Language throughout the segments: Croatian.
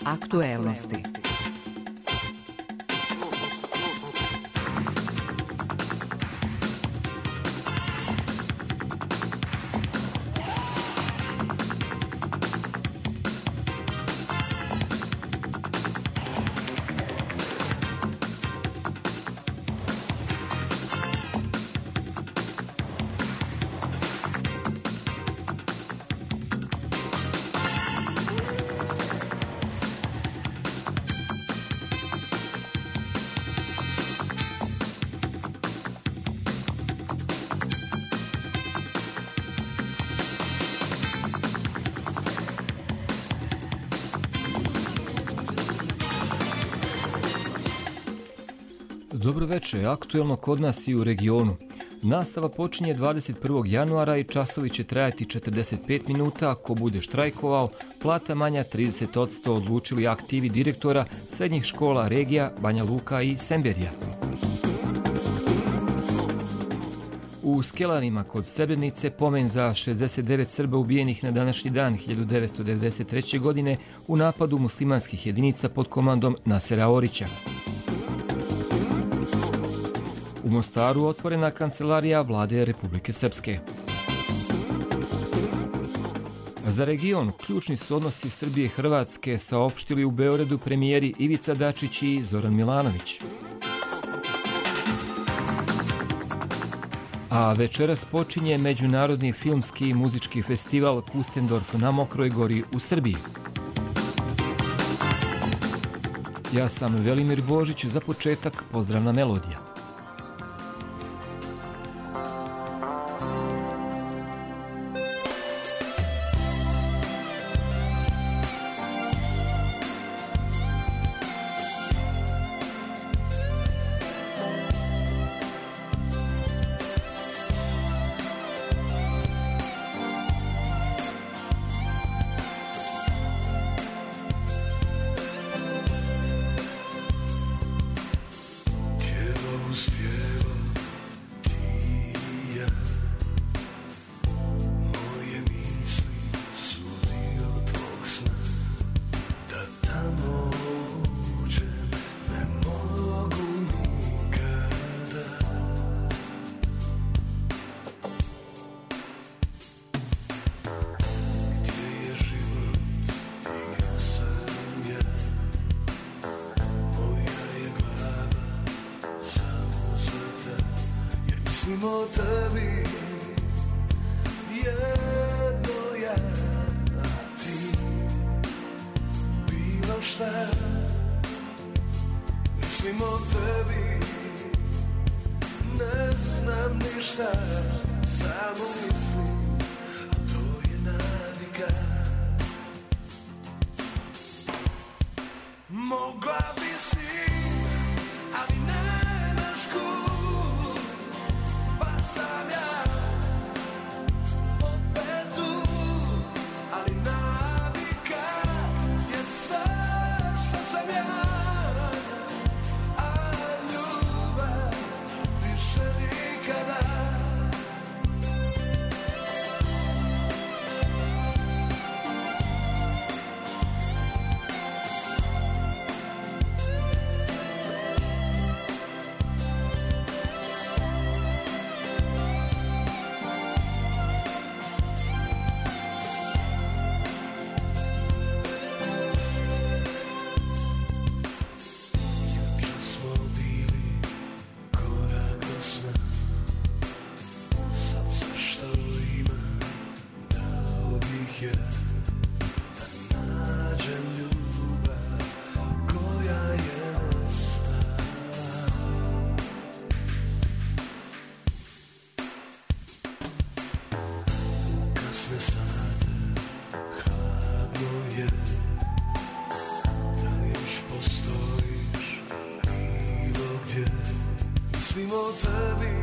Aktuelnosti. Dobro večer, aktuelno kod nas i u regionu. Nastava počinje 21. januara i časovi će trajati 45 minuta. Ako bude štrajkovao, plata manja 30%, odlučili aktivi direktora srednjih škola regija Banja Luka i Semberija. U Skelanima kod Srebrenice pomen za 69 Srba ubijenih na današnji dan 1993. godine u napadu muslimanskih jedinica pod komandom Nasera Orića. U Mostaru otvorena kancelarija Vlade Republike Srpske. Za region ključni su odnosi Srbije i Hrvatske, saopštili u Beogradu premijeri Ivica Dačić i Zoran Milanović. A večeras počinje Međunarodni filmski i muzički festival Kustendorf na Mokroj Gori u Srbiji. Ja sam Velimir Božić, za početak pozdravna melodija. O tebi jedno ja, a ti bilo šta. Mislim o tebi, ne znam ništa, samo mislim, a to je navika. Mogla bi si, ali nemaš kud. Sam ja opet tu, ali navika je sve što sam ja, a ljubav više nikada. Mislim o tebi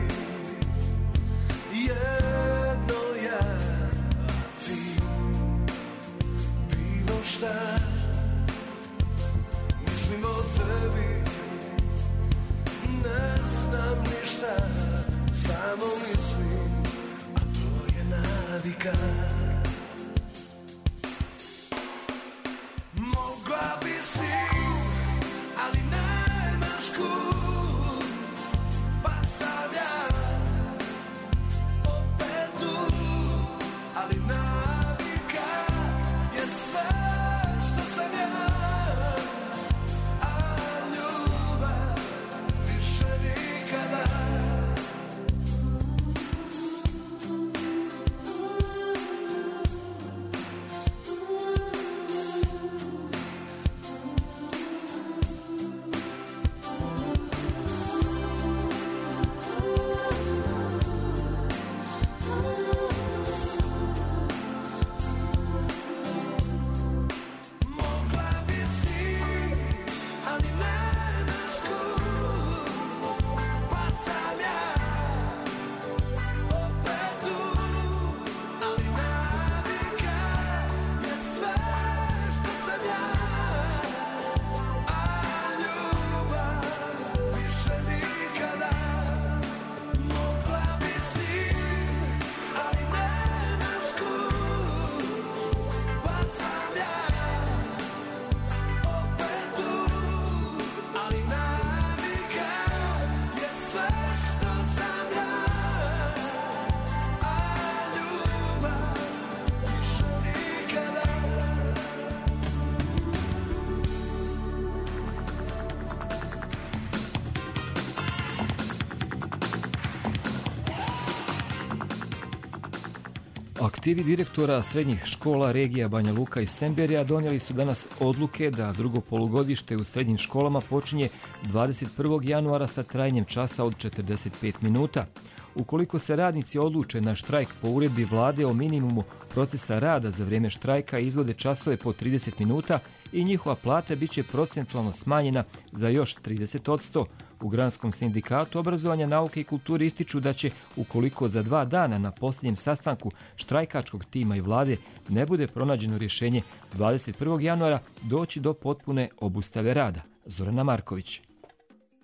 jedno ja, a ti bilo šta. Mislim o tebi, ne znam ništa, samo mislim, a to je navika. Mogla bi Aktivi direktora srednjih škola regija Banja Luka i Semberija donijeli su danas odluke da drugo polugodište u srednjim školama počinje 21. januara sa trajanjem časa od 45 minuta. Ukoliko se radnici odluče na štrajk po uredbi vlade o minimumu procesa rada za vrijeme štrajka izvode časove po 30 minuta i njihova plata bit će procentualno smanjena za još 30%. U Granskom sindikatu obrazovanja, nauke i kulture ističu da će, ukoliko za 2 dana na posljednjem sastanku štrajkačkog tima i vlade ne bude pronađeno rješenje 21. januara, doći do potpune obustave rada. Zorana Marković.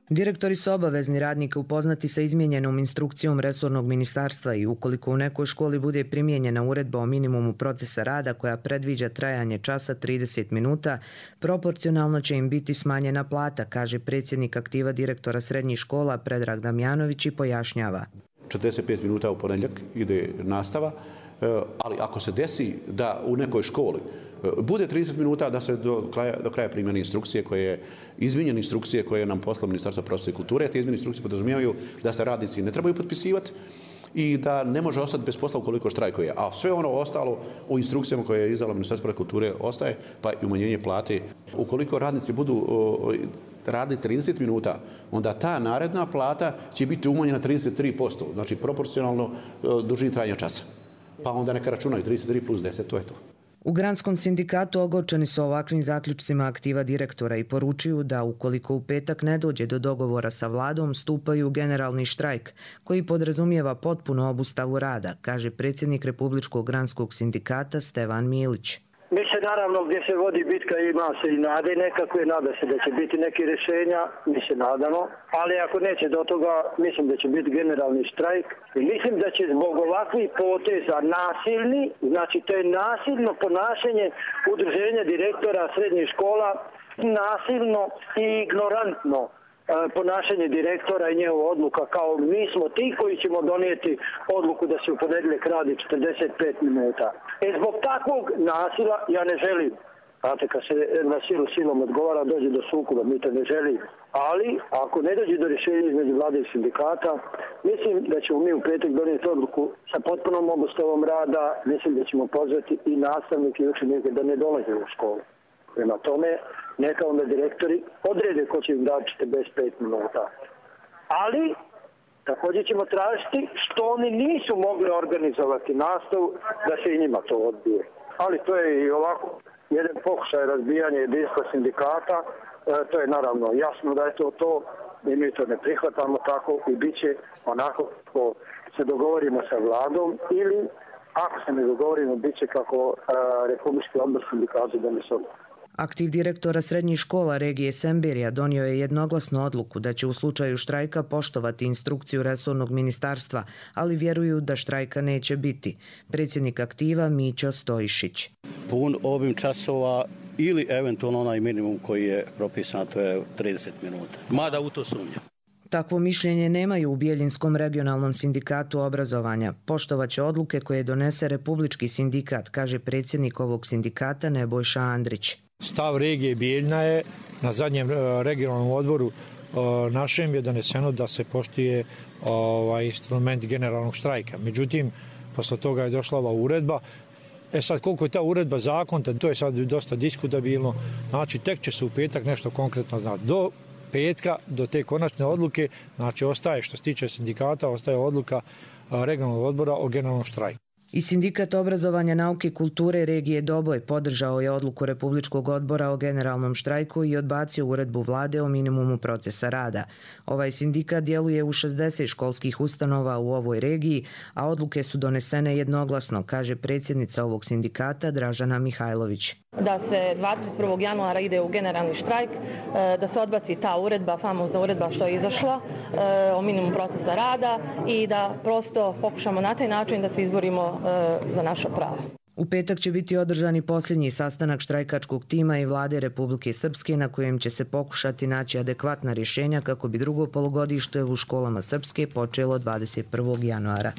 Direktori su obavezni radnike upoznati sa izmijenjenom instrukcijom resornog ministarstva i ukoliko u nekoj školi bude primijenjena uredba o minimumu procesa rada koja predviđa trajanje časa 30 minuta, proporcionalno će im biti smanjena plata, kaže predsjednik aktiva direktora srednjih škola Predrag Damjanović i pojašnjava. 45 minuta u ponedjeljak ide nastava, ali ako se desi da u nekoj školi bude 30 minuta da se do kraja primjene instrukcije izmijenjene instrukcije koje nam poslalo Ministarstvo prosvjete i kulture, te izmijenjene instrukcije podrazumijevaju da se radnici ne trebaju potpisivati i da ne može ostati bez posla ukoliko štrajkuje. A sve ono ostalo u instrukcijama koje je izdalo Ministarstvo kulture ostaje, pa i umanjenje plate. Ukoliko radnici budu radili 30 minuta, onda ta naredna plata će biti umanjena 33%, znači proporcionalno dužini trajanja časa. Pa onda neka računaju 33 plus 10, to je to. U Granskom sindikatu ogorčeni su ovakvim zaključcima aktiva direktora i poručuju da ukoliko u petak ne dođe do dogovora sa vladom, stupaju u generalni štrajk, koji podrazumijeva potpunu obustavu rada, kaže predsjednik Republičkog Granskog sindikata Stevan Milić. Mi se naravno gdje se vodi bitka ima se i nade nekakve, nada se da će biti neke rješenja, mi se nadamo, ali ako neće do toga, mislim da će biti generalni štrajk i mislim da će zbog ovakvih poteza nasilni, znači to je nasilno ponašanje udruženja direktora srednjih škola, nasilno i ignorantno ponašanje direktora i njegova odluka kao mi smo ti koji ćemo donijeti odluku da se u ponedjeljak radi 45 minuta. Zbog takvog nasila ja ne želim. Znate, kad se na silu silom odgovara, dođe do sukoba, mi to ne želimo. Ali, ako ne dođe do rješenja između vlade i sindikata, mislim da ćemo mi u petak donijeti odluku sa potpunom obustavom rada, mislim da ćemo pozvati i nastavnike i učenike da ne dolaze u školu. Prema tome, neka onda direktori odrede ko će im dati 45 minuta. Ali, također ćemo tražiti što oni nisu mogli organizovati nastavu da se i njima to odbije. Ali to je i ovako jedan pokušaj razbijanja jedinstva sindikata. To je naravno jasno da je to i mi to ne prihvatamo tako i bit će onako kako se dogovorimo sa vladom ili ako se ne dogovorimo bit će kako Republički odbor sindikata donese odluku. Aktiv direktora srednjih škola regije Semberija donio je jednoglasnu odluku da će u slučaju štrajka poštovati instrukciju resornog ministarstva, ali vjeruju da štrajka neće biti. Predsjednik aktiva Mićo Stojišić. Pun obim časova ili eventualno onaj minimum koji je propisan, to je 30 minuta. Mada u to sumnja. Takvo mišljenje nemaju u Bijeljinskom regionalnom sindikatu obrazovanja. Poštovaće odluke koje donese Republički sindikat, kaže predsjednik ovog sindikata Nebojša Andrić. Stav regije Bijeljina je na zadnjem regionalnom odboru našem je doneseno da se poštuje instrument generalnog štrajka. Međutim, posle toga je došla ova uredba. Sad koliko je ta uredba zakon, to je sad dosta diskutabilno. Znači, tek će se u petak nešto konkretno znati. Do petka, do te konačne odluke, znači ostaje što se tiče sindikata, ostaje odluka regionalnog odbora o generalnom štrajku. I Sindikat obrazovanja, nauke i kulture regije Doboj podržao je odluku Republičkog odbora o generalnom štrajku i odbacio uredbu vlade o minimumu procesa rada. Ovaj sindikat djeluje u 60 školskih ustanova u ovoj regiji, a odluke su donesene jednoglasno, kaže predsjednica ovog sindikata Dražana Mihajlović. Da se 21. januara ide u generalni štrajk, da se odbaci ta uredba, famozna uredba što je izašla o minimumu procesa rada i da prosto pokušamo na taj način da se izborimo za naša prava. U petak će biti održani posljednji sastanak štrajkačkog tima i vlade Republike Srpske na kojem će se pokušati naći adekvatna rješenja kako bi drugo polugodište u školama Srpske počelo 21. januara.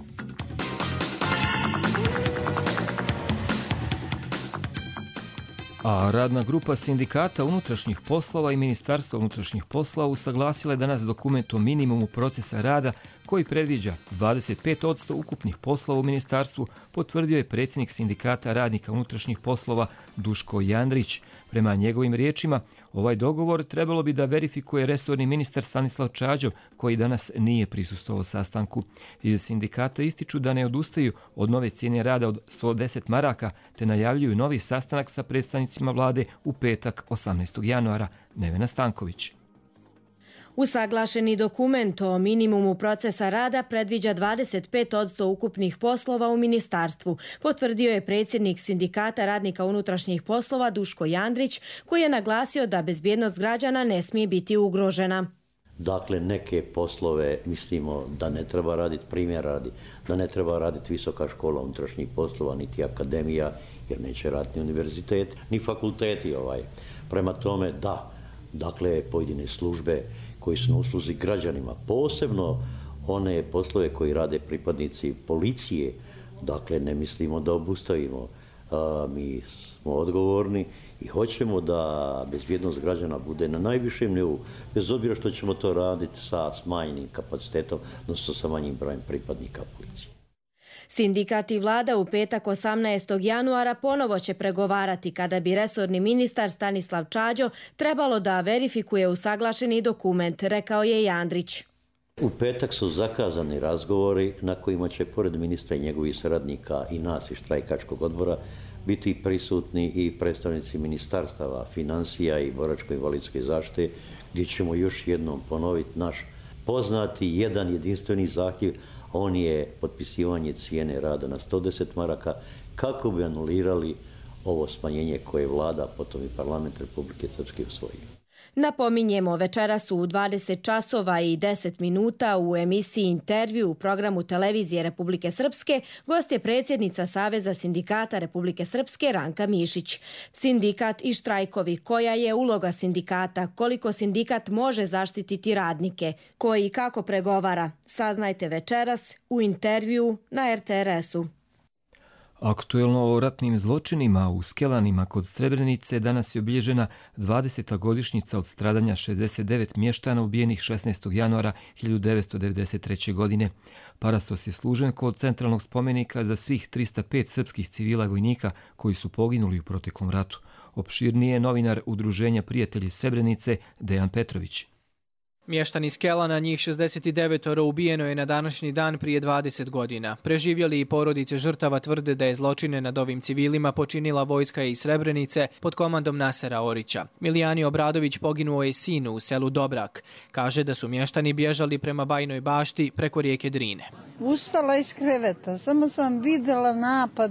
A radna grupa sindikata unutrašnjih poslova i Ministarstva unutrašnjih poslova usaglasila je danas dokument o minimumu procesa rada koji predviđa 25% ukupnih poslova u ministarstvu, potvrdio je predsjednik Sindikata radnika unutrašnjih poslova Duško Jandrić. Prema njegovim riječima, ovaj dogovor trebalo bi da verifikuje resorni ministar Stanislav Čađo, koji danas nije prisustvovao sastanku. Iz sindikata ističu da ne odustaju od nove cijene rada od 110 maraka, te najavljuju novi sastanak sa predstavnicima vlade u petak 18. januara. Nevena Stanković. Usaglašeni dokument o minimumu procesa rada predviđa 25% ukupnih poslova u ministarstvu, potvrdio je predsjednik Sindikata radnika unutrašnjih poslova Duško Jandrić, koji je naglasio da bezbjednost građana ne smije biti ugrožena. Dakle, neke poslove mislimo da ne treba raditi, primjer radi, da ne treba raditi Visoka škola unutrašnjih poslova, niti akademija, jer neće raditi ni univerzitet, ni fakulteti. Prema tome, da, dakle, pojedine službe koji su na usluzi građanima, posebno one poslove koji rade pripadnici policije, dakle, ne mislimo da obustavimo. Mi smo odgovorni i hoćemo da bezbjednost građana bude na najvišem nivou, bez obzira što ćemo to raditi sa smanjenim kapacitetom, odnosno sa manjim brojem pripadnika policije. Sindikat i vlada u petak 18. januara ponovo će pregovarati kada bi resorni ministar Stanislav Čađo trebalo da verifikuje usaglašeni dokument, rekao je Jandrić. U petak su zakazani razgovori na kojima će pored ministra i njegovih saradnika i nas iz štrajkačkog odbora biti prisutni i predstavnici ministarstava financija i boračko-invalidske zaštite, gdje ćemo još jednom ponoviti naš poznati jedan jedinstveni zahtjev, on je potpisivanje cijene rada na 110 maraka kako bi anulirali ovo smanjenje koje je vlada, potom i parlament Republike Srpske usvojio. Napominjemo, večeras u 20 časova i 10 minuta u emisiji Intervju u programu Televizije Republike Srpske gost je predsjednica Saveza sindikata Republike Srpske Ranka Mišić. Sindikat i štrajkovi, koja je uloga sindikata, koliko sindikat može zaštititi radnike, koji i kako pregovara, saznajte večeras u Intervju na RTRS-u. Aktuelno o ratnim zločinima u Skelanima kod Srebrenice danas je obilježena 20. godišnjica od stradanja 69 mještana ubijenih 16. januara 1993. godine. Parastos je služen kod centralnog spomenika za svih 305 srpskih civila i vojnika koji su poginuli u proteklom ratu. Opširnije novinar Udruženja prijatelji Srebrenice Dejan Petrović. Mještani Skelana, njih 69 ubijeno je na današnji dan prije 20 godina. Preživjeli i porodice žrtava tvrde da je zločine nad ovim civilima počinila vojska iz Srebrenice pod komandom Nasera Orića. Milijani Obradović poginuo je sin u selu Dobrak. Kaže da su mještani bježali prema Bajnoj Bašti preko rijeke Drine. Ustala iz kreveta, samo sam vidjela napad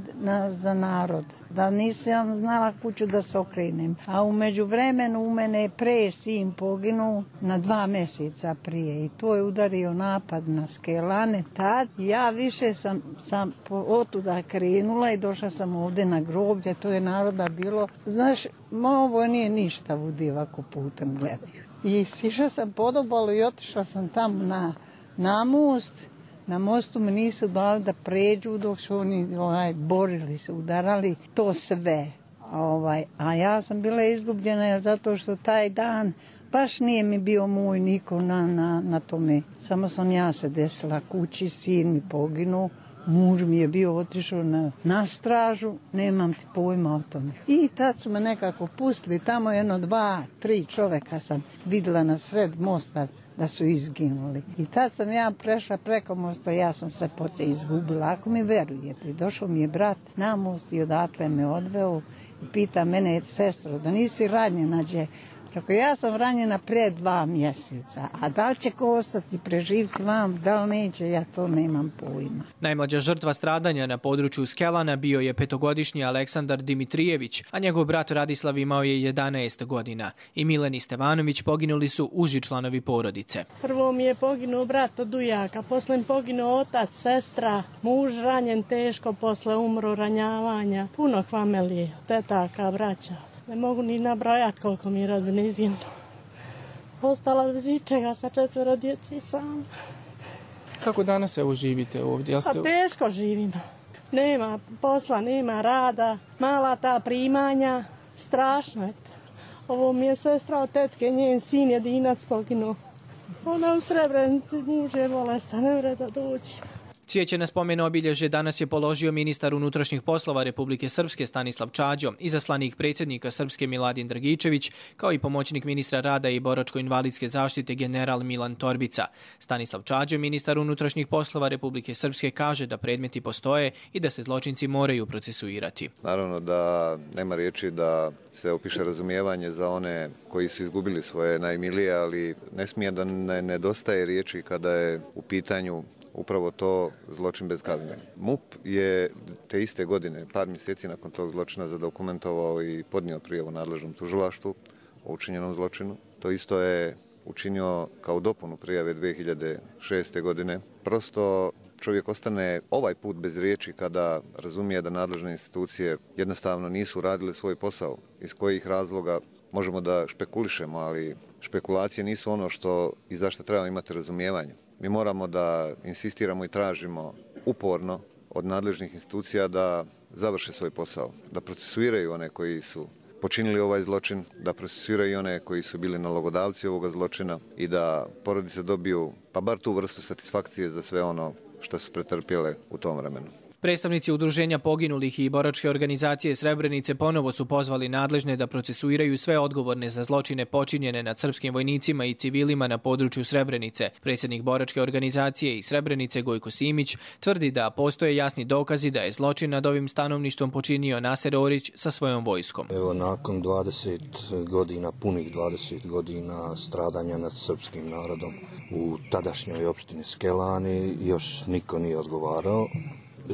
za narod, da nisam znala kuću da se okrenem. A u međuvremenu u mene je pre sin poginuo na 2 mjeseca prije i to je udario napad na Skelane tad. Ja više sam otuda krenula i došla sam ovdje na groblje, to je naroda bilo. Znaš, ovo nije ništa vudi ovako putem gledaju. I sišla sam pod obalu i otišla sam tamo na most. Na mostu mi nisu dali da pređu dok su oni borili se, udarali to sve. A ja sam bila izgubljena zato što taj dan baš nije mi bio moj niko na tome. Samo sam ja se desila kući, sin mi poginuo, muž mi je bio otišao na stražu, nemam ti pojma o tome. I tad su me nekako pustili, tamo 1, 2, 3 čoveka sam vidjela na sred mosta da su izginuli. I tad sam ja prešla preko mosta, ja sam se poslije izgubila. Ako mi verujete, došao mi je brat na most i odatle me odveo i pita mene, sestro, da nisi ranjena gdje? Rekao, ja sam ranjena pre 2 mjeseca, a da li će ko ostati preživiti vam, da li neće, ja to nemam pojma. Najmlađa žrtva stradanja na području Skelana bio je 5-godišnji Aleksandar Dimitrijević, a njegov brat Radislav imao je 11 godina. I Mileni Stevanović poginuli su uži članovi porodice. Prvo mi je poginuo brat od ujaka, posle mi poginuo otac, sestra, muž ranjen teško, posle umro ranjavanja. Puno familije, tetaka, braća. Ne mogu ni nabrojati koliko mi je rodbine izginulo. Ostala bez ičega sa 4 djeci sam. Kako danas evo živite ovdje? A teško živim. Nema posla, nema rada, mala ta primanja. Strašno je. Ovo mi je sestra od tetke, njen sin jedinac poginuo. Ona u Srebrenici, muž je bolestan, ne vreda doći. Cvijeće na spomen obilježje danas je položio ministar unutrašnjih poslova Republike Srpske Stanislav Čađo, izaslanik predsjednika Srpske Miladin Dragičević, kao i pomoćnik ministra rada i boračko-invalidske zaštite general Milan Torbica. Stanislav Čađo, ministar unutrašnjih poslova Republike Srpske, kaže da predmeti postoje i da se zločinci moraju procesuirati. Naravno da nema riječi da se opiše razumijevanje za one koji su izgubili svoje najmilije, ali ne smije da ne nedostaje riječi kada je u pitanju upravo to zločin bez kazne. MUP je te iste godine, par mjeseci nakon tog zločina, zadokumentovao i podnio prijavu nadležnom tužilaštvu o učinjenom zločinu. To isto je učinio kao dopunu prijave 2006. godine. Prosto čovjek ostane ovaj put bez riječi kada razumije da nadležne institucije jednostavno nisu radile svoj posao. Iz kojih razloga možemo da špekulišemo, ali špekulacije nisu ono što i zašto treba imati razumijevanje. Mi moramo da insistiramo i tražimo uporno od nadležnih institucija da završe svoj posao, da procesuiraju one koji su počinili ovaj zločin, da procesuiraju one koji su bili nalogodavci ovoga zločina i da porodice dobiju pa bar tu vrstu satisfakcije za sve ono što su pretrpjele u tom vremenu. Predstavnici udruženja poginulih i boračke organizacije Srebrenice ponovo su pozvali nadležne da procesuiraju sve odgovorne za zločine počinjene nad srpskim vojnicima i civilima na području Srebrenice. Predsjednik boračke organizacije i Srebrenice Gojko Simić tvrdi da postoje jasni dokazi da je zločin nad ovim stanovništvom počinio Naser Orić sa svojom vojskom. Evo, nakon 20 godina, punih 20 godina stradanja nad srpskim narodom u tadašnjoj opštini Skelani još niko nije odgovarao.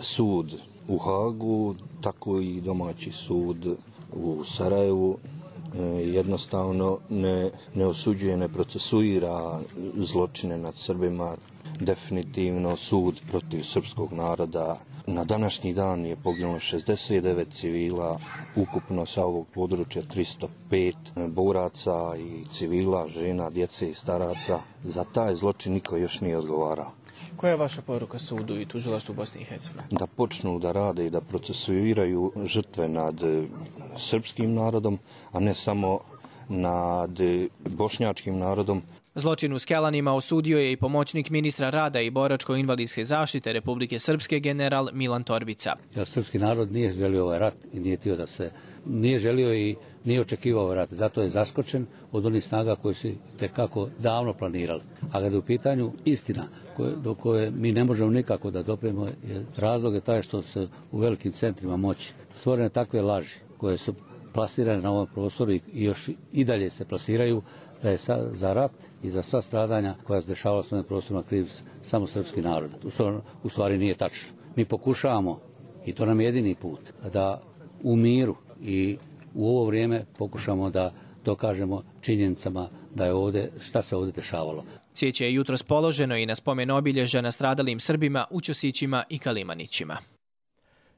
Sud u Hagu, tako i domaći sud u Sarajevu jednostavno ne osuđuje, ne procesuira zločine nad Srbima. Definitivno sud protiv srpskog naroda. Na današnji dan je poginulo 69 civila, ukupno sa ovog područja 305 boraca i civila, žena, djece i staraca. Za taj zločin niko još nije odgovarao. Koja je vaša poruka sudu i tužilaštvu Bosne i Hercegovine? Da počnu da rade i da procesuiraju žrtve nad srpskim narodom, a ne samo nad bošnjačkim narodom. Zločin u Skelanima osudio je i pomoćnik ministra rada i boračko-invalidske zaštite Republike Srpske general Milan Torbica. Jer srpski narod nije želio ovaj rat i nije želio i nije očekivao ovaj rat. Zato je zaskočen od onih snaga koje su tekako davno planirali. A kada je u pitanju istina do koje mi ne možemo nikako da dopremo, razlog je taj što se u velikim centrima moći stvorene takve laži koje su plasirane na ovom prostoru i još i dalje se plasiraju, da je za rat i za sva stradanja koja se dešavala s ovim prostorima kriv samo srpski narod. To u stvari nije tačno. Mi pokušavamo, i to nam je jedini put, da u miru i u ovo vrijeme pokušamo da dokažemo činjenicama da je ovdje, šta se ovdje dešavalo. Cvijeće je jutros položeno i na spomen obilježja nastradalim Srbima u Ćosićima i Kalimanićima.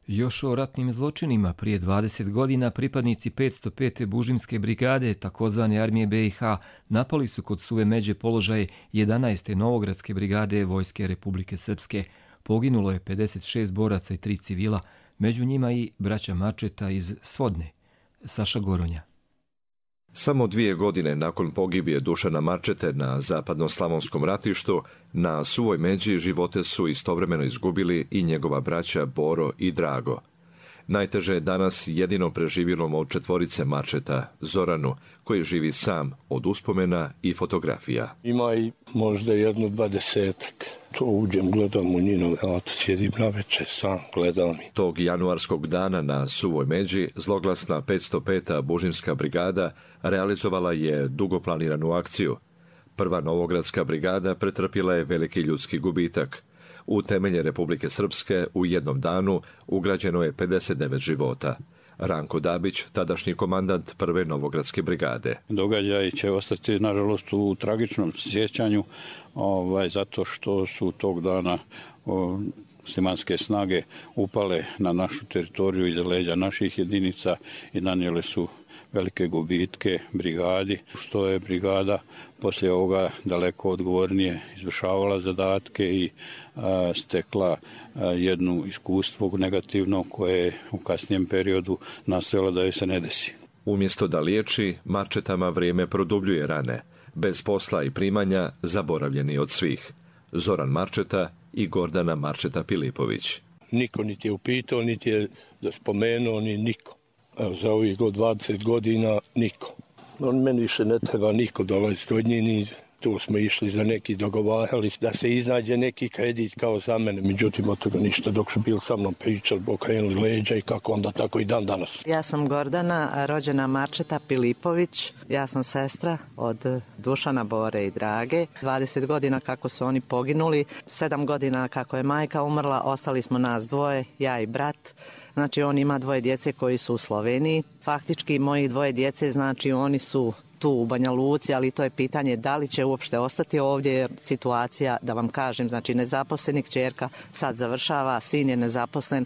Još o ratnim zločinima prije 20 godina pripadnici 505. Bužimske brigade, takozvane armije BiH, napali su kod Suve Međe položaje 11. Novogradske brigade Vojske Republike Srpske. Poginulo je 56 boraca i 3 civila, među njima i braća Mačeta iz Svodne. Saša Goronja. Samo 2 godine nakon pogibije Dušana Marčete na zapadno-slavonskom ratištu, na Suvoj Međi živote su istovremeno izgubili i njegova braća Boro i Drago. Najteže je danas jedino preživjelom od 4 Marčeta, Zoranu, koji živi sam od uspomena i fotografija. Ima i možda 20-ak. To uđem, gledam u njino vrata, sjedim na večer, sam gledam. Tog januarskog dana na Suvoj Međi zloglasna 505. Bužimska brigada realizovala je dugo planiranu akciju. Prva Novogradska brigada pretrpjela je veliki ljudski gubitak. U temelje Republike Srpske u jednom danu ugrađeno je 59 života. Ranko Dabić, tadašnji komandant prve Novogradske brigade. Događaj će ostati, nažalost, u tragičnom sjećanju, zato što su tog dana muslimanske snage upale na našu teritoriju iza leđa naših jedinica i nanijele su velike gubitke brigadi, što je brigada poslije ovoga daleko odgovornije izvršavala zadatke i stekla jedno iskustvo negativno koje je u kasnijem periodu nastojalo da joj se ne desi. Umjesto da liječi, Marčetama vrijeme produbljuje rane. bez posla i primanja, zaboravljeni od svih. Zoran Marčeta i Gordana Marčeta-Pilipović. Niko niti je upitao, niti je spomenuo, ni niko. Evo, za ovih 20 godina niko. Meni više ne treba niko dolaziti od njih, ni tu smo išli za neki, dogovarali da se iznađe neki kredit kao za mene. Međutim, od toga ništa, dok su bili sa mnom pričali, okrenuli leđa i kako onda, tako i dan danas. Ja sam Gordana, rođena Marčeta Pilipović. Ja sam sestra od Dušana, Bore i Drage. 20 godina kako su oni poginuli, 7 godina kako je majka umrla, ostali smo nas dvoje, ja i brat. Znači, on ima 2 djece koji su u Sloveniji. Faktički, moji 2 djece, znači, oni su tu u Banja Luci, ali to je pitanje da li će uopšte ostati ovdje, jer situacija, da vam kažem, znači nezaposlenih kćerka sad završava, sin je nezaposlen,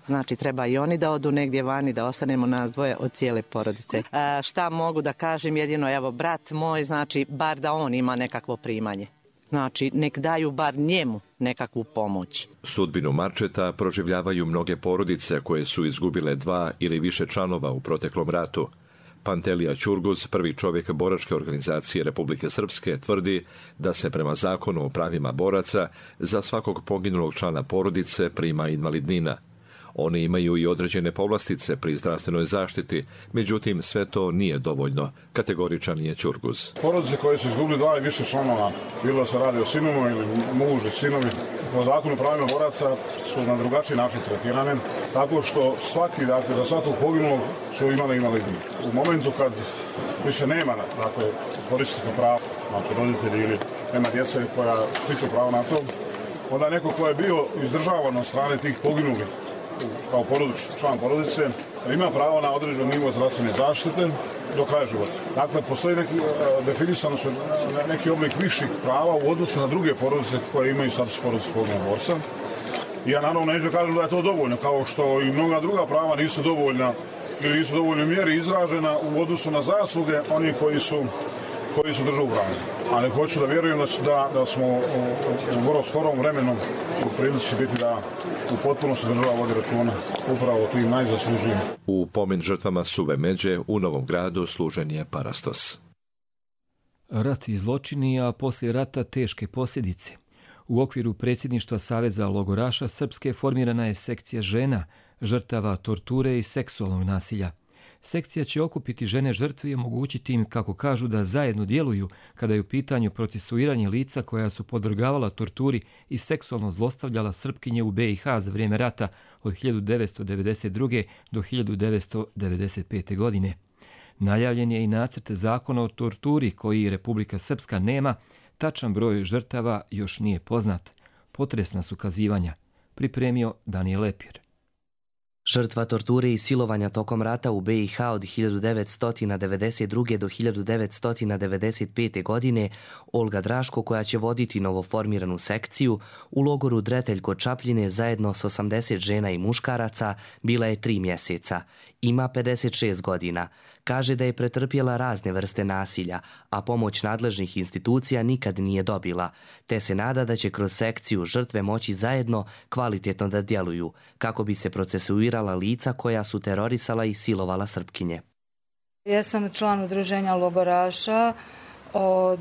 znači treba i oni da odu negdje vani, da ostanemo nas dvoje od cijele porodice. Šta mogu da kažem, jedino, evo, brat moj, znači, bar da on ima nekakvo primanje. Znači, nek daju bar njemu nekakvu pomoć. Sudbinu Marčeta proživljavaju mnoge porodice koje su izgubile 2 ili više članova u proteklom ratu. Pantelija Ćurguz, prvi čovjek boračke organizacije Republike Srpske, tvrdi da se prema zakonu o pravima boraca za svakog poginulog člana porodice prima invalidnina. Oni imaju i određene povlastice pri zdravstvenoj zaštiti, međutim sve to nije dovoljno, kategoričan je Ćurguz. Porodice koje su izgubili 2 ili više članova, bilo se radi o sinovima ili muž i sinovi, po zakonu o pravima boraca su na drugačiji način tretirane, tako što svaki, dakle, za svakog poginulog su imali invalidninu. U momentu kad više nema, dakle, korisnika prava, znači roditelji ili nema djece koja stiču pravo na to, onda neko ko je bio izdržavan od strane tih poginulih kao član porodice, ima pravo na određen nivo zdravstvene zaštite do kraja života. Dakle, postoji definisano su neki oblik viših prava u odnosu na druge porodice koje imaju status porodice poginulog borca. I ja naravno neću kažem da je to dovoljno, kao što i mnoga druga prava nisu dovoljna ili nisu dovoljno mjeri izražena u odnosu na zasluge onih koji su državu branili. Ali hoću da vjerujem da smo u vrlo skorom vremenu u prilici biti da u potpunosti država vodi računa upravo tim najzaslužijim. U pomen žrtvama Suve međe u Novom Gradu služen je parastos. Rat i zločini, a poslije rata teške posljedice. U okviru predsjedništva Saveza logoraša Srpske formirana je sekcija žena, žrtava torture i seksualnog nasilja. Sekcija će okupiti žene žrtve i omogućiti im, kako kažu, da zajedno djeluju kada je u pitanju procesuiranje lica koja su podvrgavala torturi i seksualno zlostavljala Srpkinje u BiH za vrijeme rata od 1992. do 1995. godine. Najavljen je i nacrt zakona o torturi koji Republika Srpska nema, tačan broj žrtava još nije poznat. Potresna su kazivanja. Pripremio Daniel Lepir. Žrtva torture i silovanja tokom rata u BiH od 1992. do 1995. godine, Olga Draško, koja će voditi novoformiranu sekciju, u logoru Dretelj kod Čapljine zajedno s 80 žena i muškaraca bila je 3 mjeseca. Ima 56 godina. Kaže da je pretrpjela razne vrste nasilja, a pomoć nadležnih institucija nikad nije dobila, te se nada da će kroz sekciju žrtve moći zajedno kvalitetno da djeluju, kako bi se procesuirala lica koja su terorisala i silovala Srpkinje. Ja sam član udruženja logoraša od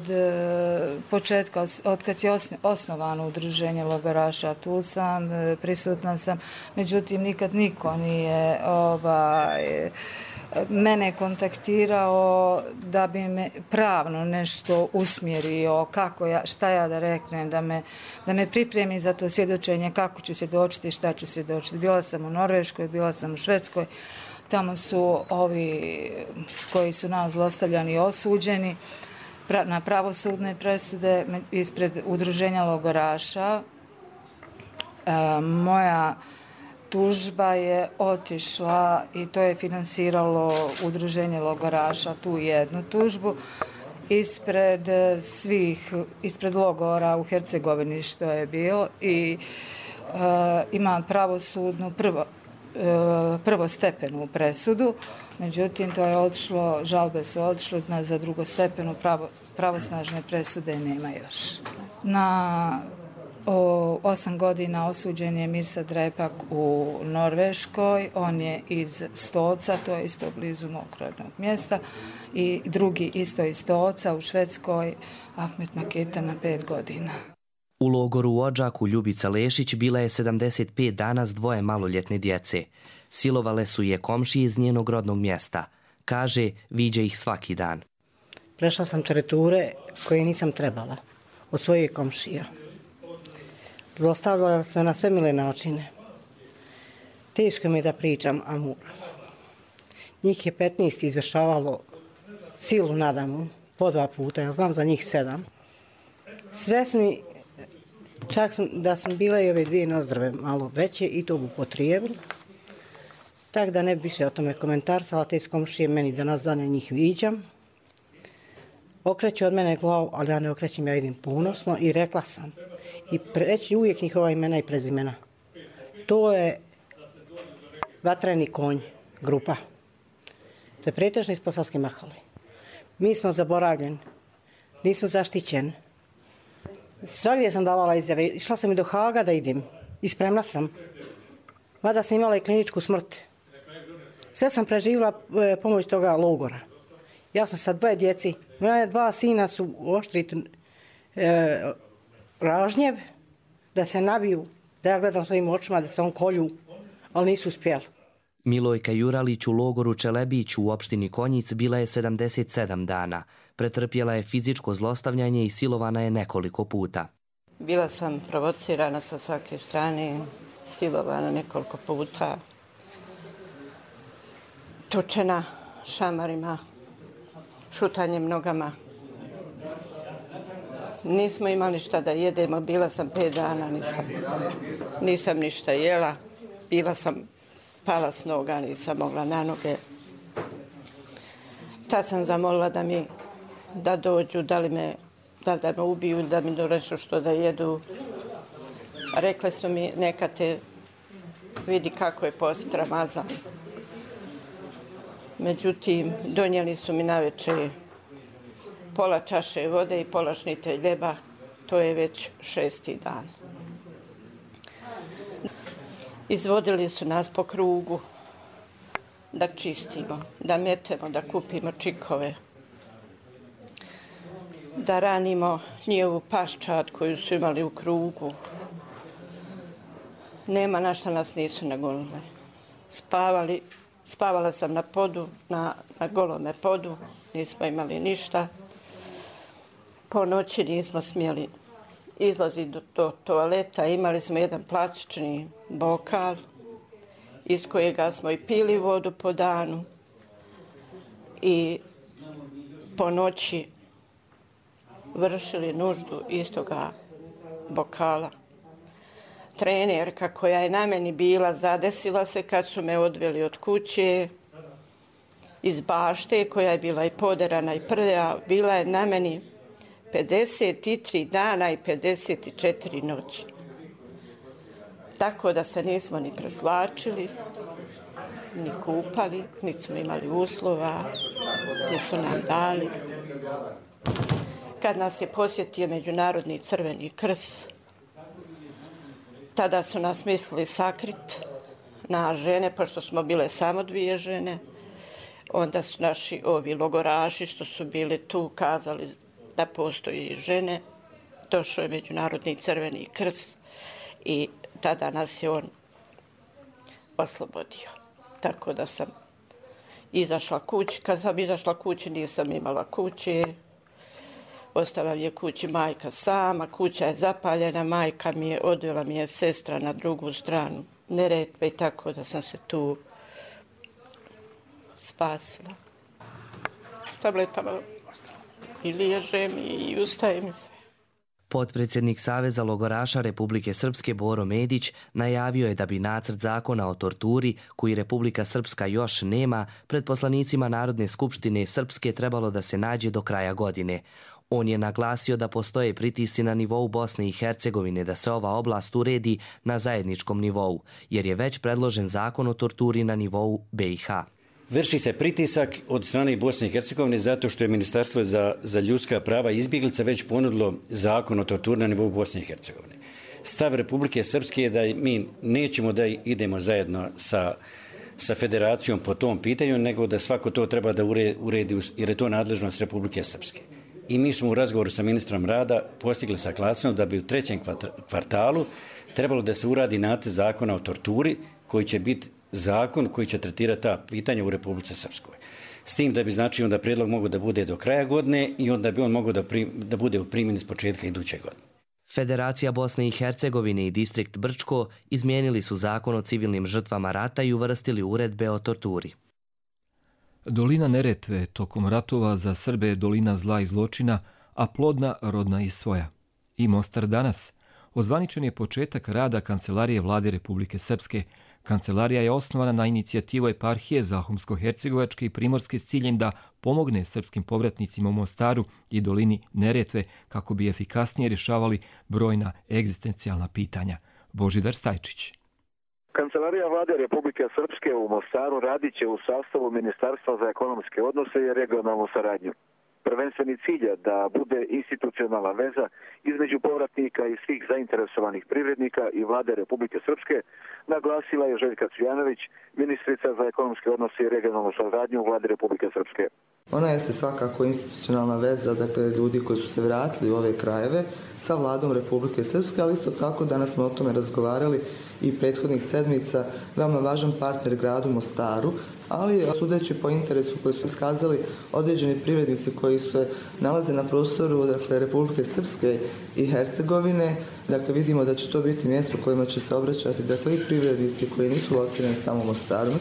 početka, od kad je osnovano udruženje logoraša. Tu sam, prisutna sam, međutim nikad niko nije mene kontaktirao da bi me pravno nešto usmjerio, šta ja da reknem, da me pripremi za to svjedočenje, kako ću svjedočiti, šta ću svjedočiti. Bila sam u Norveškoj, bila sam u Švedskoj, tamo su ovi koji su nas zlostavljani osuđeni na pravosudne presude ispred udruženja logoraša. Moja tužba je otišla i to je finansiralo udruženje logoraša, tu jednu tužbu, ispred logora u Hercegovini što je bilo i imam pravosudnu prvostepenu presudu, međutim to je otišlo, žalbe su otišle za drugostepenu, pravosnažne presude nema još. Na 8 godina osuđen je Mirsad Repak u Norveškoj, on je iz Stoca, to je isto blizu mog rodnog mjesta, i drugi isto iz Stoca u Švedskoj, Ahmet Maketa na 5 godina. U logoru u Odžaku Ljubica Lešić bila je 75 dana s 2 maloljetne djece. Silovale su je komšije iz njenog rodnog mjesta. Kaže, viđa ih svaki dan. Prešla sam teriture koje nisam trebala od svojih komšija. Zlostavljala se na sve mile načine. Teško mi je da pričam, a moram. Njih je 15 izvršavalo silu nadamu po 2 puta, ja znam za njih 7. Sve su mi, čak da sam bila i ove 2 nozdrve malo veće i to upotrijebila. Tako da ne bi više o tome komentarsala, te komšije meni danas dane njih viđam. Okreću od mene glavu, ali ja ne okrećem, ja idem ponosno i rekla sam. I reći uvijek njihova imena i prezimena. To je Vatreni konj, grupa. To je pretežno iz Posavske Mahale. Mi smo zaboravljeni, nismo zaštićeni. Svagdje sam davala izjave, išla sam i do Haga da idem i spremna sam. Mada sam imala i kliničku smrt. Sve sam preživjela pomoć toga logora. Ja sam sa 2 djeci, moja 2 sina su oštriti ražnjev, da se nabiju, da ja gledam svojim očima, da se on kolju, ali nisu uspjeli. Milojka Juralić u logoru Čelebić u opštini Konjic bila je 77 dana. Pretrpjela je fizičko zlostavljanje i silovana je nekoliko puta. Bila sam provocirana sa svake strane, silovana nekoliko puta, tučena šamarima, šutanjem nogama. Nismo imali šta da jedemo, bila sam 5 dana, nisam ništa jela, bila sam pala s noga, nisam mogla na noge. Tad sam zamolila da dođu, da me ubiju ili da mi donesu što da jedu. Rekli su mi, neka te vidi kako je post Ramazan. Međutim, donijeli su mi navečer pola čaše vode i pola šnite ljeba. To je već 6. dan. Izvodili su nas po krugu da čistimo, da metemo, da kupimo čikove, da ranimo njihovu paščad koju su imali u krugu. Nema na šta nas nisu nagolili. Spavala sam na podu, na golome podu, nismo imali ništa. Po noći nismo smjeli izlaziti do toaleta, imali smo jedan plastični bokal iz kojega smo i pili vodu po danu i po noći vršili nuždu iz toga bokala. Trenerka koja je na meni bila zadesila se kad su me odveli od kuće iz bašte koja je bila i poderana i prlja, bila je na meni 53 dana i 54 noći. Tako da se nismo ni preslačili, ni kupali, niti smo imali uslova, niti su nam dali. Kad nas je posjetio Međunarodni Crveni krst, tada su nas mislili sakrit na žene, pošto smo bile samo 2 žene. Onda su naši logoraši što su bili tu kazali da postoji žene. Došao je Međunarodni Crveni krst i tada nas je on oslobodio. Tako da sam izašla kući. Kad sam izašla kući nisam imala kuće. Ostala je kući majka sama, kuća je zapaljena, majka odvela mi je sestra na drugu stranu Neretve i tako da sam se tu spasila. S tabletama i liježem i ustajem i sve. Potpredsjednik Saveza logoraša Republike Srpske Boro Medić najavio je da bi nacrt zakona o torturi, koji Republika Srpska još nema, pred poslanicima Narodne skupštine Srpske trebalo da se nađe do kraja godine. On je naglasio da postoje pritisci na nivou Bosne i Hercegovine da se ova oblast uredi na zajedničkom nivou, jer je već predložen zakon o torturi na nivou BiH. Vrši se pritisak od strane Bosne i Hercegovine zato što je Ministarstvo za ljudska prava i izbjeglica već ponudilo zakon o torturi na nivou Bosne i Hercegovine. Stav Republike Srpske je da mi nećemo da idemo zajedno sa federacijom po tom pitanju, nego da svako to treba da uredi, jer je to nadležnost Republike Srpske. I mi smo u razgovoru sa ministrom rada postigli saglasnost da bi u 3. kvartalu trebalo da se uradi nacrt zakona o torturi, koji će biti zakon koji će tretirati ta pitanja u Republici Srpskoj. S tim da bi znači onda prijedlog mogao da bude do kraja godine i onda bi on mogao da bude u primjeni s početka iduće godine. Federacija Bosne i Hercegovine i distrikt Brčko izmijenili su zakon o civilnim žrtvama rata i uvrstili uredbe o torturi. Dolina Neretve tokom ratova za Srbe je dolina zla i zločina, a plodna, rodna i svoja. I Mostar danas. Ozvaničen je početak rada Kancelarije Vlade Republike Srpske. Kancelarija je osnovana na inicijativu eparhije Zahumsko-Hercegovačke i Primorske s ciljem da pomogne srpskim povratnicima u Mostaru i dolini Neretve kako bi efikasnije rješavali brojna egzistencijalna pitanja. Božidar Stajčić. Kancelarija Vlade Republike Srpske u Mostaru radit će u sastavu Ministarstva za ekonomske odnose i regionalnu saradnju. Prvenstveni cilj je da bude institucionalna veza između povratnika i svih zainteresovanih privrednika i Vlade Republike Srpske, naglasila je Željka Cvijanović, ministrica za ekonomske odnose i regionalnu saradnju u Vlade Republike Srpske. Ona jeste svakako institucionalna veza, dakle ljudi koji su se vratili u ove krajeve sa Vladom Republike Srpske, ali isto tako danas smo o tome razgovarali i prethodnih sedmica, veoma važan partner gradu Mostaru, ali sudeći po interesu koji su iskazali određeni privrednici koji se nalaze na prostoru Republike Srpske i Hercegovine, dakle vidimo da će to biti mjesto kojima će se obraćati i privrednici koji nisu locirani samo u Mostaru.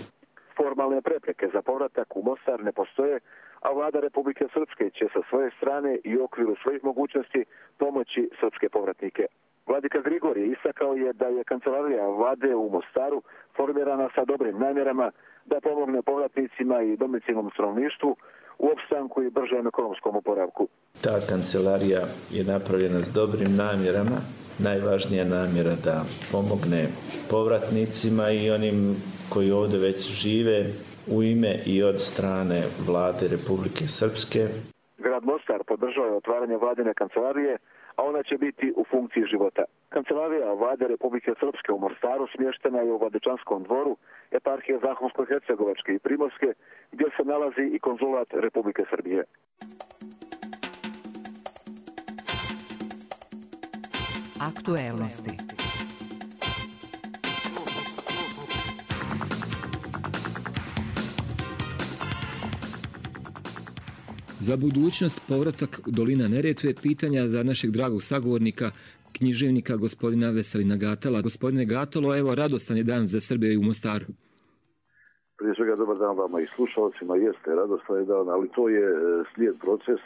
Formalne prepreke za povratak u Mostar ne postoje, a Vlada Republike Srpske će sa svoje strane i u okviru svojih mogućnosti pomoći srpske povratnike. Vladika Grigorije istakao je da je Kancelarija Vlade u Mostaru formirana sa dobrim namjerama da pomogne povratnicima i domicilnom stanovništvu u opstanku i bržem ekonomskom oporavku. Ta kancelarija je napravljena s dobrim namjerama. Najvažnija namjera da pomogne povratnicima i onim koji ovdje već žive u ime i od strane Vlade Republike Srpske. Grad Mostar podržao je otvaranje vladine kancelarije, a ona će biti u funkciji života. Kancelarija Vlade Republike Srpske u Mostaru smještena je u Vladičanskom dvoru, eparhije Zahumsko-Hercegovačke i Primorske, gdje se nalazi i konzulat Republike Srbije. Aktuelnosti. Za budućnost povratak u dolina Neretve pitanja za našeg dragog sagovornika, književnika gospodina Veselina Gatala. Gospodine Gatalo, evo radostan je dan za Srbe u Mostaru. Prije svega dobar dan vama i slušalcima, jeste radostan je dan, ali to je slijed proces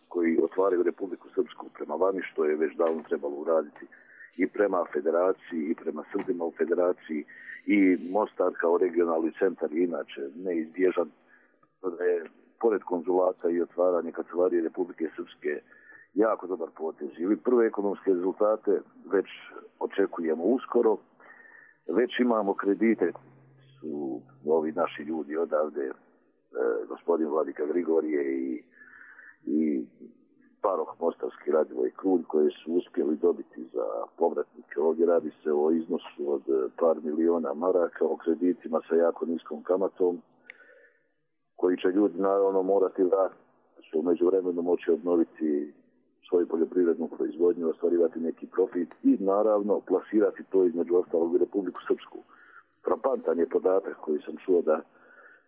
koji otvaraju Republiku Srpsku prema vani, što je već davno trebalo uraditi i prema federaciji i prema Srbima u federaciji i Mostar kao regionalni centar je inače neizbježan, da je pored konzulata i otvaranje Kancelarije Republike Srpske jako dobar potez. Ili prve ekonomske rezultate već očekujemo uskoro, već imamo kredite, su ovi naši ljudi odavde, gospodin Vladika Grigorije i paroh Mostarski Radivoj Krulj, koje su uspjeli dobiti za povratnike. Ovdje radi se o iznosu od par miliona maraka, o kreditima sa jako niskom kamatom, koji će ljudi naravno morati vratiti, što umeđu vremenu moći obnoviti svoju poljoprivrednu proizvodnju, ostvarivati neki profit i naravno plasirati to između ostalog u Republiku Srpsku. Frapantan je podatak koji sam čuo da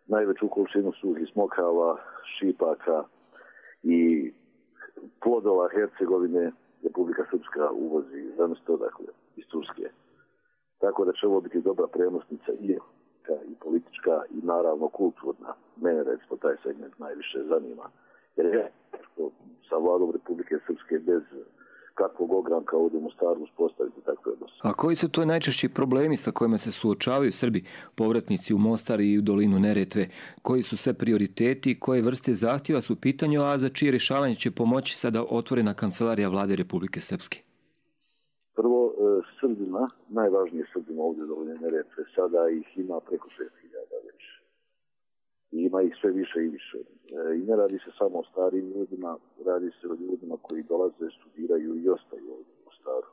najveću količinu suhih smokava, šipaka i plodova Hercegovine Republika Srpska uvozi, znam to dakle, iz Turske. Tako da će ovo biti dobra premosnica i politička i naravno kulturna. Mene recimo taj segment najviše zanima. Jer je sa Vladom Republike Srpske bez kakvog ogranka ovdje u Mostaru uspostaviti takve odnose. A koji su to najčešći problemi sa kojima se suočavaju Srbi, povratnici u Mostar i u dolinu Neretve? Koji su sve prioriteti, koje vrste zahtjeva su u pitanju, a za čije rješavanje će pomoći sada otvorena Kancelarija Vlade Republike Srpske? Prvo, Srbima, najvažnije Srbima ovdje u doline Neretve, sada ih ima preko 6.000 već. I ima ih sve više i više. I ne radi se samo o starim ljudima, radi se o ljudima koji dolaze, studiraju i ostaju ovdje u Mostaru.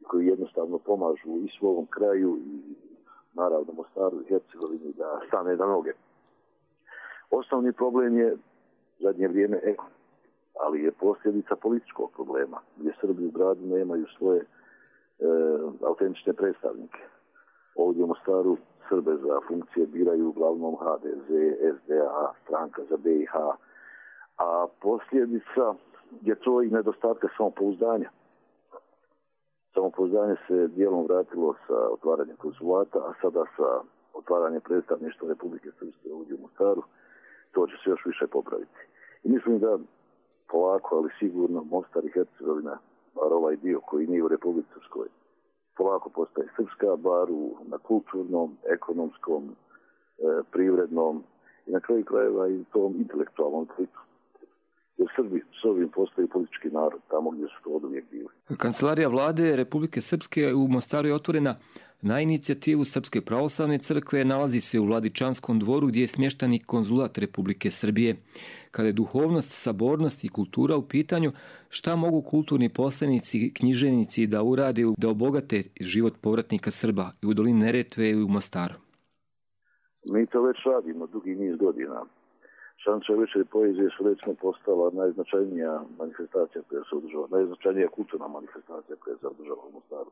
koji jednostavno pomažu i svom kraju i naravno Mostaru i Hercegovini da stane na noge. Osnovni problem je zadnje vrijeme ali je posljedica političkog problema, gdje Srbi u gradu nemaju svoje autentične predstavnike. Ovdje u Mostaru Srbe za funkcije biraju uglavnom HDZ, SDA, stranka za BiH, a posljedica je to i nedostatka samopouzdanja. Samopouzdanje se dijelom vratilo sa otvaranjem konzulata, a sada sa otvaranjem predstavništva Republike Srpske ovdje u Mostaru. To će se još više popraviti. I mislim da polako, ali sigurno Mostar i Hercegovina, bar ovaj dio koji nije u Republici Srpskoj, polako postaje srpska, bar na kulturnom, ekonomskom, privrednom i na kraju krajeva i tom intelektualnom klipu. Jer Srbi s ovim postaju politički narod, tamo gdje su to od uvijek bili. Kancelarija vlade Republike Srpske u Mostaru je otvorena na inicijativu Srpske pravoslavne crkve, nalazi se u Vladičanskom dvoru gdje je smještani konzulat Republike Srbije. Kada je duhovnost, sabornost i kultura u pitanju, šta mogu kulturni poslanici, književnici da urade da obogate život povratnika Srba i u dolini Neretve i u Mostaru? Mi to već radimo dugi niz godina. Šančeve večeri poezije su recimo postala najznačajnija manifestacija koja se održava, najznačajnija kulturna manifestacija koja se održava u Mostaru.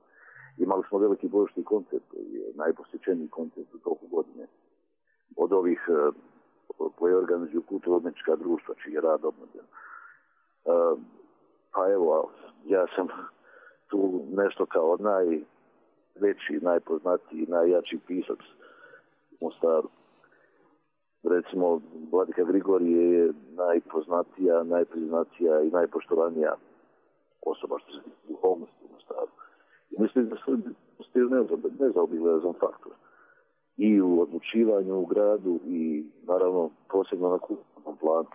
Imali smo veliki božićni koncert, koji je najposjećeniji koncert u toku godine. Od ovih koje organizuju kulturno-umetnička društva, čiji je rad obnovljen. Pa evo, ja sam tu nešto kao najveći, najpoznatiji, najjači pisac u Mostaru. Recimo, Vladika Grigorije je najpoznatija, najpriznatija i najpoštovanija osoba što se duhovnosti u Mostaru. I mislim da Srbi postaju nezaobilazan faktor i u odlučivanju u gradu i naravno posebno na kulturnom planu.